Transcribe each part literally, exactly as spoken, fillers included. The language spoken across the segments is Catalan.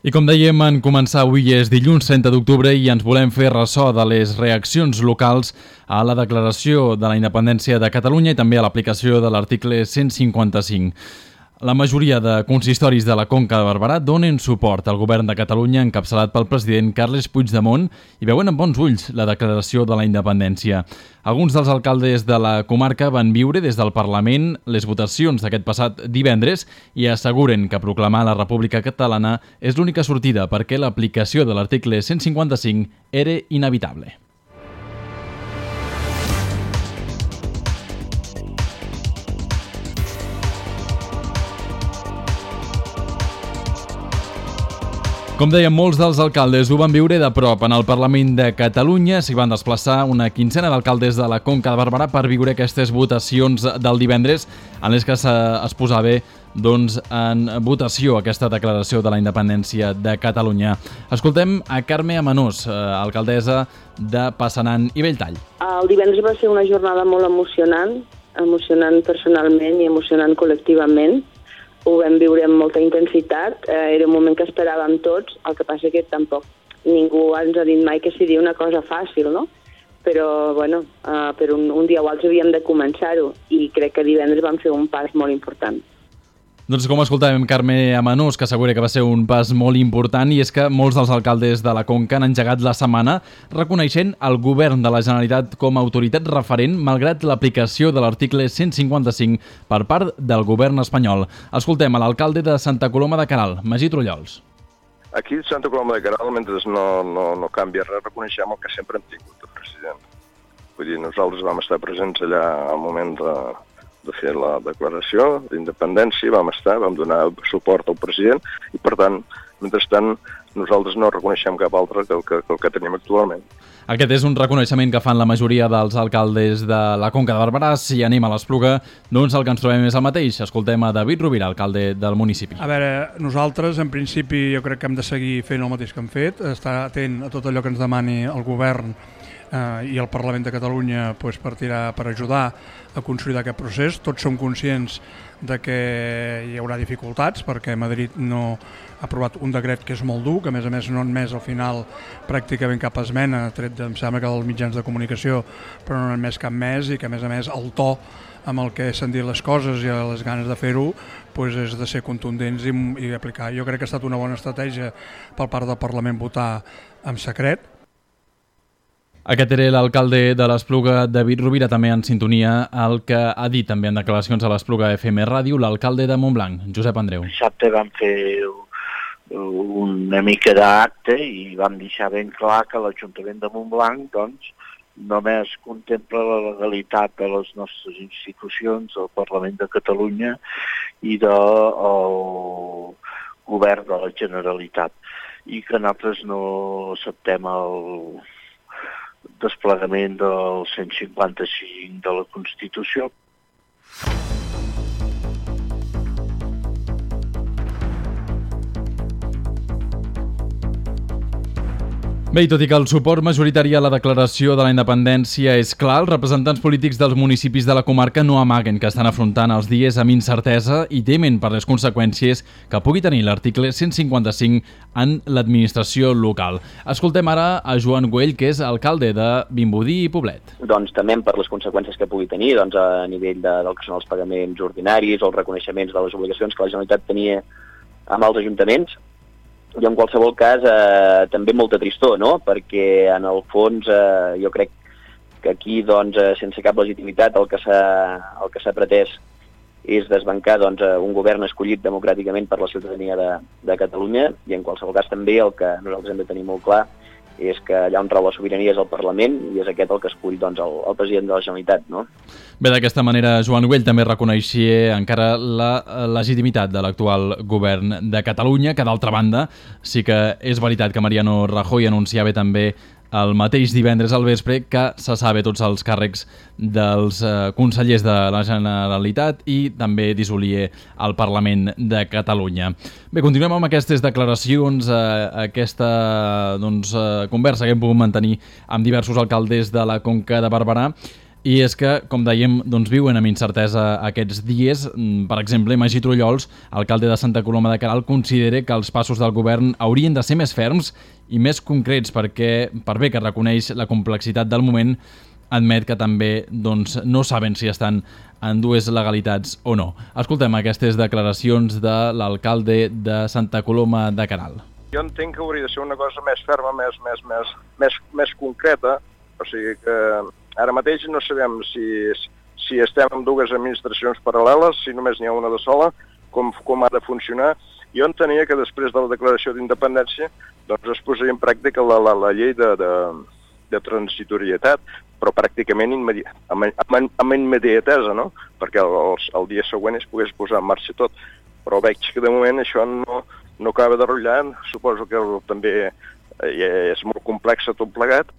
I com dèiem, en començar avui és dilluns trenta d'octubre i ens volem fer ressò de les reaccions locals a la declaració de la independència de Catalunya i també a l'aplicació de l'article cent cinquanta-cinc. La majoria de consistoris de la Conca de Barberà donen suport al govern de Catalunya encapçalat pel president Carles Puigdemont i veuen amb bons ulls la declaració de la independència. Alguns dels alcaldes de la comarca van viure des del Parlament les votacions d'aquest passat divendres i asseguren que proclamar la República Catalana és l'única sortida perquè l'aplicació de l'article cent cinquanta-cinc era inevitable. Com dèiem, molts dels alcaldes ho van viure de prop. En el Parlament de Catalunya s'hi van desplaçar una quinzena d'alcaldes de la Conca de Barberà per viure aquestes votacions del divendres en les que es posava doncs, en votació aquesta declaració de la independència de Catalunya. Escoltem a Carme Amenós, alcaldessa de Passanant i Belltall. El divendres va ser una jornada molt emocionant, emocionant personalment i emocionant col·lectivament. Ho vam viure amb molta intensitat, eh, era un moment que esperàvem tots, el que passa que tampoc ningú ens ha dit mai que seria una cosa fàcil, no? Però, bueno, eh, per un, un dia o altre havíem de començar-ho i crec que divendres vam fer un pas molt important. Doncs com escoltàvem Carme Amenós, que assegura que va ser un pas molt important, i és que molts dels alcaldes de la Conca han engegat la setmana reconeixent el govern de la Generalitat com a autoritat referent malgrat l'aplicació de l'article cent cinquanta-cinc per part del govern espanyol. Escoltem a l'alcalde de Santa Coloma de Queralt, Magí Trullols. Aquí a Santa Coloma de Queralt, mentre no, no, no canvia res, reconeixem el que sempre hem tingut el president. Vull dir, nosaltres vam estar presents allà al moment de... de fer la declaració d'independència, vam estar, vam donar suport al president i, per tant, mentrestant, nosaltres no reconeixem cap altre que el que, que el que tenim actualment. Aquest és un reconeixement que fan la majoria dels alcaldes de la Conca de Barberà. Si anem a l'Espluga, doncs el que ens trobem és el mateix. Escoltem a David Rovira, alcalde del municipi. A veure, nosaltres, en principi, jo crec que hem de seguir fent el mateix que hem fet, estar atent a tot allò que ens demani el govern eh, i el Parlament de Catalunya pues, per tirar, per ajudar a consolidar aquest procés. Tots som conscients de que hi haurà dificultats perquè Madrid no ha aprovat un decret que és molt dur, que a més a més no ha admès al final pràcticament cap esmena, tret de, em sembla que dels mitjans de comunicació, però no ha admès cap més i que a més a més el to amb el que s'han dit les coses i les ganes de fer-ho pues, és de ser contundents i, i aplicar. Jo crec que ha estat una bona estratègia per part del Parlament votar en secret. Aquest era l'alcalde de l'Espluga, David Rovira, també en sintonia el que ha dit també en declaracions a l'Espluga F M Ràdio l'alcalde de Montblanc, Josep Andreu. Dissabte vam fer una mica d'acte i vam deixar ben clar que l'Ajuntament de Montblanc doncs, només contempla la legalitat de les nostres institucions, del Parlament de Catalunya i del govern de la Generalitat, i que nosaltres no acceptem el desplegament del cent cinquanta-cinc de la Constitució. Bé, i tot i que el suport majoritari a la declaració de la independència és clar, els representants polítics dels municipis de la comarca no amaguen que estan afrontant els dies amb incertesa i temen per les conseqüències que pugui tenir l'article cent cinquanta-cinc en l'administració local. Escoltem ara a Joan Güell, que és alcalde de Vimbodí i Poblet. Doncs temem per les conseqüències que pugui tenir doncs, a nivell de, del que són els pagaments ordinaris o els reconeixements de les obligacions que la Generalitat tenia amb els ajuntaments. I en qualsevol cas eh, també molta tristor, no? Perquè en el fons eh, jo crec que aquí doncs, eh, sense cap legitimitat el que s'ha el que s'ha pretès és desbancar doncs, un govern escollit democràticament per la ciutadania de, de Catalunya, i en qualsevol cas també el que nosaltres hem de tenir molt clar és que allà on trau la sobirania és el Parlament i és aquest el que escull doncs, el, el president de la Generalitat, no? Bé, d'aquesta manera, Joan Güell també reconeixia encara la legitimitat de l'actual govern de Catalunya, que d'altra banda sí que és veritat que Mariano Rajoy anunciava també el mateix divendres al vespre que se sabe tots els càrrecs dels eh, consellers de la Generalitat i també dissolia el Parlament de Catalunya. Bé, continuem amb aquestes declaracions, eh, aquesta doncs, eh, conversa que hem pogut mantenir amb diversos alcaldes de la Conca de Barberà. I és que, com dèiem, doncs viuen amb incertesa aquests dies. Per exemple, Magí Trullols, alcalde de Santa Coloma de Queralt, considera que els passos del govern haurien de ser més ferms i més concrets perquè, per bé que reconeix la complexitat del moment, admet que també doncs, no saben si estan en dues legalitats o no. Escoltem aquestes declaracions de l'alcalde de Santa Coloma de Queralt. Jo entenc que hauria de ser una cosa més ferma, més, més, més, més, més concreta, o sigui que ara mateix no sabem si, si estem en dues administracions paral·leles, si només n'hi ha una de sola, com, com ha de funcionar. Jo entenia que després de la declaració d'independència doncs es posaria en pràctica la, la, la llei de, de, de transitorietat, però pràcticament immedi amb, amb, amb immediatesa, no? Perquè el, el dia següent es pogués posar en marxa tot. Però veig que de moment això no, no acaba de rotllar, suposo que també és molt complex tot plegat.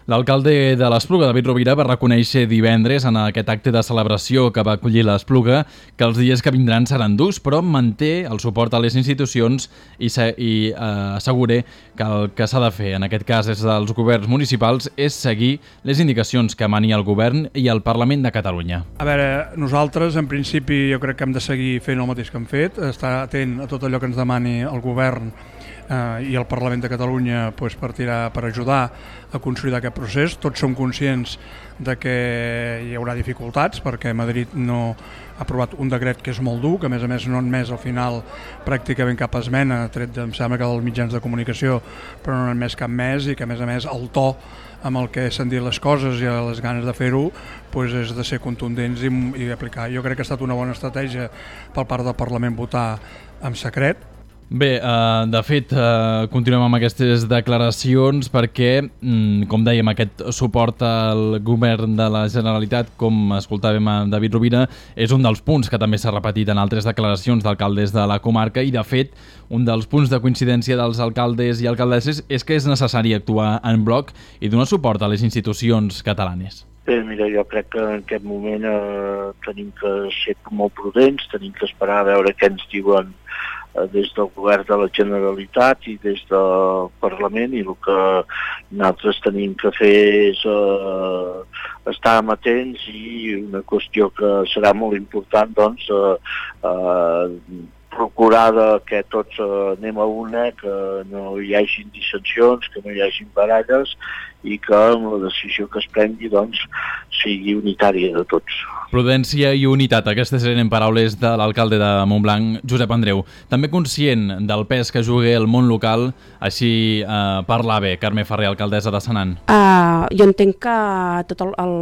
L'alcalde de l'Espluga, David Rovira, va reconèixer divendres en aquest acte de celebració que va acollir l'Espluga que els dies que vindran seran durs, però manté el suport a les institucions i, i eh, assegura que el que s'ha de fer, en aquest cas és dels governs municipals, és seguir les indicacions que mani el govern i el Parlament de Catalunya. A veure, nosaltres en principi jo crec que hem de seguir fent el mateix que hem fet, estar atent a tot allò que ens demani el govern eh, i el Parlament de Catalunya pues, per, tirar, per ajudar a consolidar aquest procés. Tots som conscients de que hi haurà dificultats perquè Madrid no ha aprovat un decret que és molt dur, que a més a més no ha admès al final pràcticament cap esmena, tret de, em sembla que dels mitjans de comunicació, però no ha admès cap més, i que a més a més el to amb el que s'han dit les coses i les ganes de fer-ho pues, és de ser contundents i, i aplicar. Jo crec que ha estat una bona estratègia per part del Parlament votar en secret. Bé, eh, de fet, eh, continuem amb aquestes declaracions perquè, mm, com dèiem, aquest suport al govern de la Generalitat, com escoltàvem a David Rovira, és un dels punts que també s'ha repetit en altres declaracions d'alcaldes de la comarca i, de fet, un dels punts de coincidència dels alcaldes i alcaldesses és que és necessari actuar en bloc i donar suport a les institucions catalanes. Bé, mira, jo crec que en aquest moment eh, tenim que ser molt prudents, tenim que esperar a veure què ens diuen des del govern de la Generalitat i des del Parlament, i el que nosaltres tenim que fer és eh, estar amatents, i una qüestió que serà molt important, doncs, eh, eh, procurar que tots eh, anem a una, que no hi hagin dissensions, que no hi hagin baralles, i que la decisió que es prengui doncs, sigui unitària de tots. Prudència i unitat, aquestes eren paraules de l'alcalde de Montblanc, Josep Andreu. També conscient del pes que juga el món local, així eh, parlava Carme Ferrer, alcaldessa de Senan. Uh, jo entenc que tot el, el,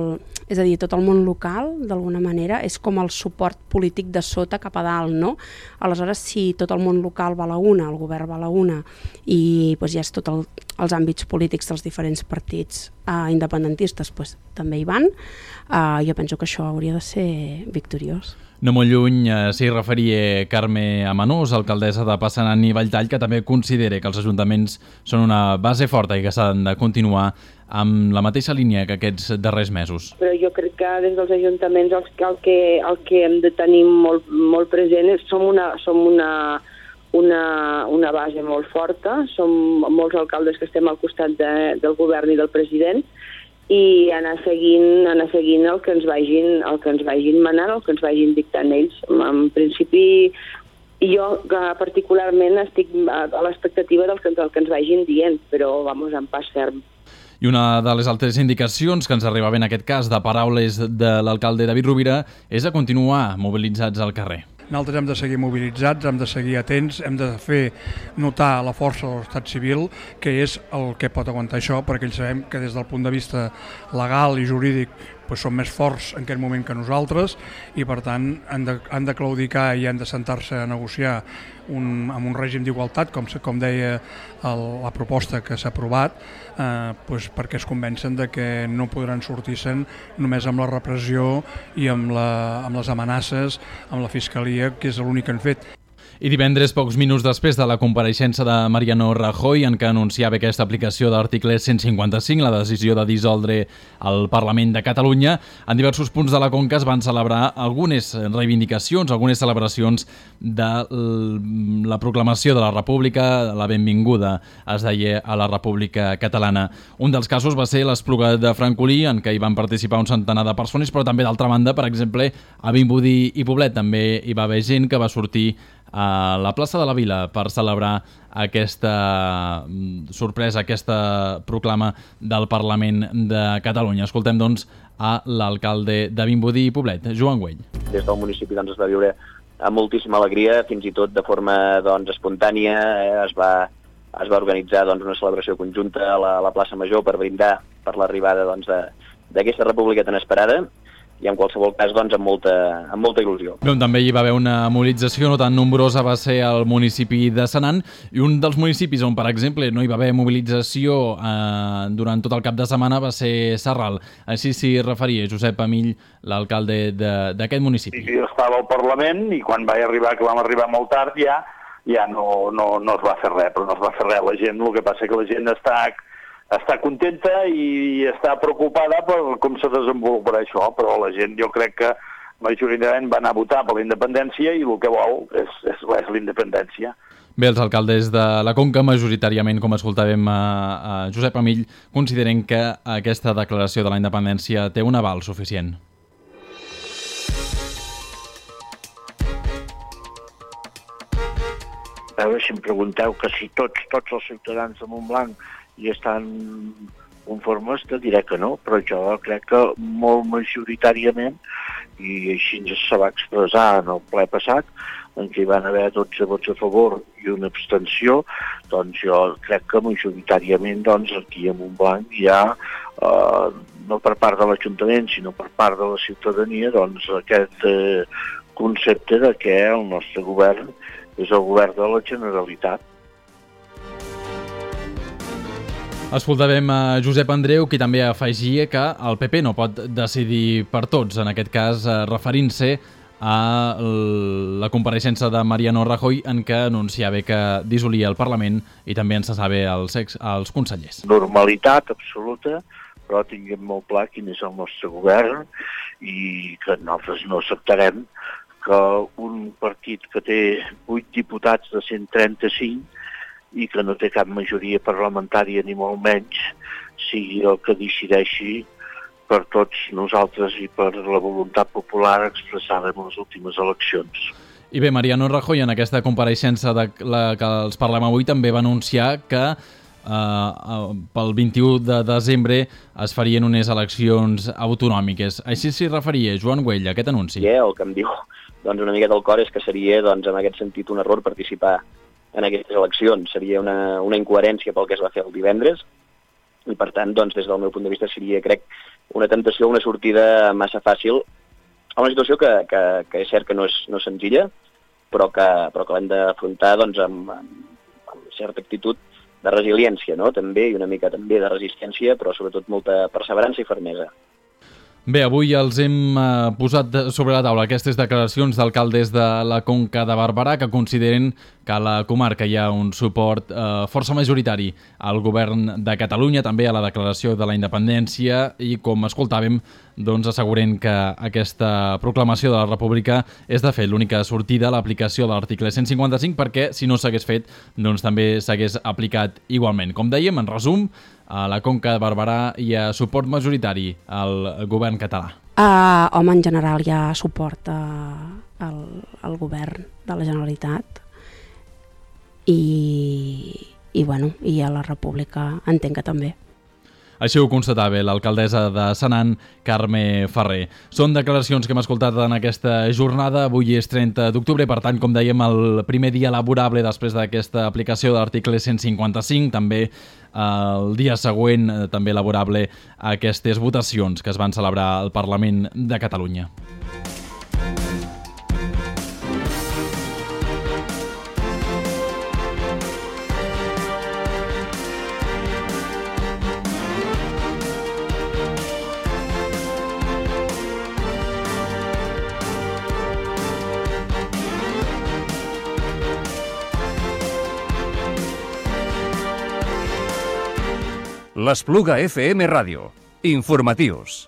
és a dir, tot el món local, d'alguna manera, és com el suport polític de sota cap a dalt, no? Aleshores, si tot el món local va a la una, el govern va a la una, i doncs, ja és tot el, els àmbits polítics dels diferents partits uh, independentistes pues, també hi van, uh, jo penso que això hauria de ser victoriós. No molt lluny eh, s'hi referia Carme Amanós, alcaldessa de Passanant i Valltall, que també considera que els ajuntaments són una base forta i que s'han de continuar amb la mateixa línia que aquests darrers mesos. Però jo crec que des dels ajuntaments el, el, que, el que hem de tenir molt, molt present és som una, som una, una, una base molt forta, som molts alcaldes que estem al costat de, del govern i del president, i anar seguint, anar seguint el que ens vagin, el que ens vagin manant, el que ens vagin dictant ells. En principi, jo particularment estic a l'expectativa del que, del que ens vagin dient, però vamos, en pas ferm. I una de les altres indicacions que ens arribava en aquest cas de paraules de l'alcalde David Rovira és a continuar mobilitzats al carrer. Nosaltres hem de seguir mobilitzats, hem de seguir atents, hem de fer notar la força de l'estat civil, que és el que pot aguantar això, perquè ells sabem que des del punt de vista legal i jurídic pues, són més forts en aquest moment que nosaltres, i per tant han de, han de claudicar i han de sentar-se a negociar un, amb un règim d'igualtat, com, com deia el, la proposta que s'ha aprovat, eh, pues, perquè es convencen de que no podran sortir-se'n només amb la repressió i amb, la, amb les amenaces, amb la fiscalia, que és l'únic que han fet. I divendres, pocs minuts després de la compareixença de Mariano Rajoy, en què anunciava aquesta aplicació de l'article cent cinquanta-cinc, la decisió de dissoldre el Parlament de Catalunya, en diversos punts de la Conca es van celebrar algunes reivindicacions, algunes celebracions de la proclamació de la República, la benvinguda, es deia, a la República Catalana. Un dels casos va ser l'Espluga de Francolí, en què hi van participar un centenar de persones, però també, d'altra banda, per exemple, a Vimbodí i Poblet també hi va haver gent que va sortir a la plaça de la Vila per celebrar aquesta sorpresa, aquesta proclama del Parlament de Catalunya. Escoltem, doncs, a l'alcalde de Vimbodí i Poblet, Joan Güell. Des del municipi doncs, es va viure amb moltíssima alegria, fins i tot de forma doncs, espontània. Eh, es, va, es va organitzar doncs, una celebració conjunta a la, a la plaça Major per brindar per l'arribada doncs, d'aquesta república tan esperada, i en qualsevol cas doncs, amb, molta, amb molta il·lusió. Bé, també hi va haver una mobilització no tan nombrosa, va ser el municipi de Senan, i un dels municipis on, per exemple, no hi va haver mobilització eh, durant tot el cap de setmana va ser Sarral. Així s'hi referia Josep Amill, l'alcalde d'aquest municipi. Sí, jo estava al Parlament i quan vaig arribar, que vam arribar molt tard, ja, ja no, no, no es va fer res, però no es va fer res. La gent, el que passa que la gent està... està contenta i està preocupada per com se desenvoluparà això, però la gent jo crec que majoritàriament va anar a votar per la independència i el que vol és, és, és la independència. Bé, els alcaldes de la Conca, majoritàriament, com escoltàvem a, a Josep Amill, consideren que aquesta declaració de la independència té un aval suficient. A veure, si em pregunteu que si tots, tots els ciutadans de Montblanc i estan conformes, te diré que no, però jo crec que molt majoritàriament, i així se va expressar en el ple passat, en què hi van haver dotze vots a favor i una abstenció, doncs jo crec que majoritàriament doncs, aquí a Montblanc hi ha, eh, no per part de l'Ajuntament, sinó per part de la ciutadania, doncs aquest eh, concepte de que el nostre govern és el govern de la Generalitat. Escoltàvem a Josep Andreu, qui també afegia que el P P no pot decidir per tots, en aquest cas referint-se a la compareixença de Mariano Rajoy, en què anunciava que dissolia el Parlament i també en cessava els, ex, els consellers. Normalitat absoluta, però tinguem molt clar quin és el nostre govern i que nosaltres no acceptarem que un partit que té vuit diputats de cent trenta-cinc i que no té cap majoria parlamentària ni molt menys, sigui el que decideixi per tots nosaltres i per la voluntat popular expressada en les últimes eleccions. I bé, Mariano Rajoy, en aquesta compareixença de la que els parlem avui, també va anunciar que eh, pel vint-i-u de desembre es farien unes eleccions autonòmiques. Així s'hi referia Joan Güell, aquest anunci. Yeah, el que em diu doncs, una miqueta al cor és que seria, doncs, en aquest sentit, un error participar en aquestes eleccions. Seria una, una incoherència pel que es va fer el divendres i, per tant, doncs, des del meu punt de vista seria, crec, una temptació, una sortida massa fàcil a una situació que, que, que és cert que no és, no és senzilla, però que, però que l'hem d'afrontar doncs, amb, amb, amb certa actitud de resiliència, no? També, i una mica també de resistència, però sobretot molta perseverança i fermesa. Bé, avui els hem eh, posat sobre la taula aquestes declaracions d'alcaldes de la Conca de Barberà que consideren que a la comarca hi ha un suport eh, força majoritari al govern de Catalunya, també a la declaració de la independència i, com escoltàvem, doncs asseguren que aquesta proclamació de la República és, de fet, l'única sortida a l'aplicació de l'article cent cinquanta-cinc perquè, si no s'hagués fet, doncs també s'hagués aplicat igualment. Com dèiem, en resum, a la Conca de Barberà hi ha suport majoritari al govern català. Uh, home, en general hi ha suport uh, al, al govern de la Generalitat i, i, bueno, i a la República entenc que també. Així ho constatava l'alcaldessa de Senan, Carme Ferrer. Són declaracions que hem escoltat en aquesta jornada. Avui és trenta d'octubre, per tant, com dèiem, el primer dia laborable després d'aquesta aplicació de l'article cent cinquanta-cinc, també el dia següent, també laborable a aquestes votacions que es van celebrar al Parlament de Catalunya. L'Espluga F M Ràdio. Informatius.